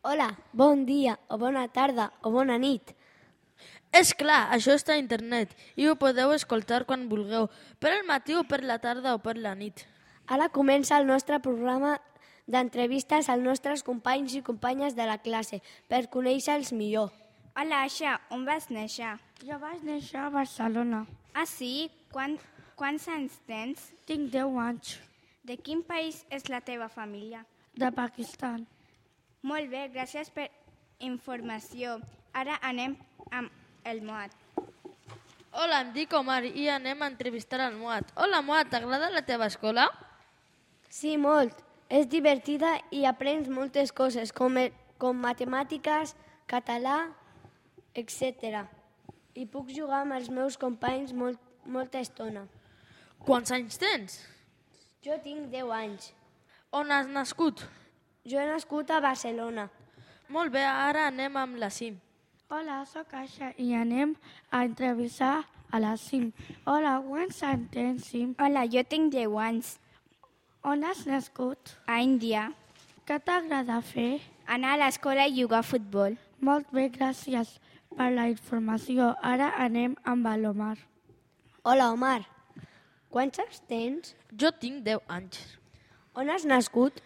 Hola, bon dia, o bona tarda, o bona nit. És clar, això està a internet i ho podeu escoltar quan vulgueu, per al matí o per la tarda o per la nit. Ara comença el nostre programa d'entrevistes als nostres companys i companyes de la classe per conèixer-los millor. Hola, Aixa, on vas néixer? Jo vaig néixer a Barcelona. Ah, sí? Quants anys tens? Tinc 10 anys. De quin país és la teva família? De Pakistan. Molt bé, gràcies per informació. Ara anem amb el Moat. Hola, em dic Omar i anem a entrevistar al Moat. Hola, Moat, t'agrada la teva escola? Sí, molt. És divertida i aprens moltes coses, com matemàtiques, català, etc. I puc jugar amb els meus companys molta estona. Quants anys tens? Jo tinc 10 anys. On has nascut? Jo he nascut a Barcelona. Molt bé, ara anem amb la CIM. Hola, sóc Aixa i anem a entrevistar a la CIM. Hola, quants anys tens, CIM? Hola, jo tinc 10 anys. On has nascut? A Índia. Què t'agrada fer? Anar a l'escola i jugar a futbol. Molt bé, gràcies per la informació. Ara anem amb l'Omar. Hola, Omar. Quants anys tens? Jo tinc 10 anys. On has nascut?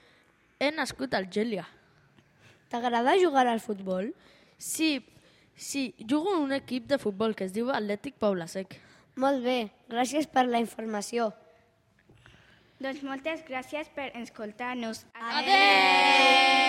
He nascut a Algèria. T'agrada jugar al futbol? Sí, jugo en un equip de futbol que es diu Atlètic Paula-sec. Molt bé, gràcies per la informació. Doncs moltes gràcies per escoltar-nos. Adéu!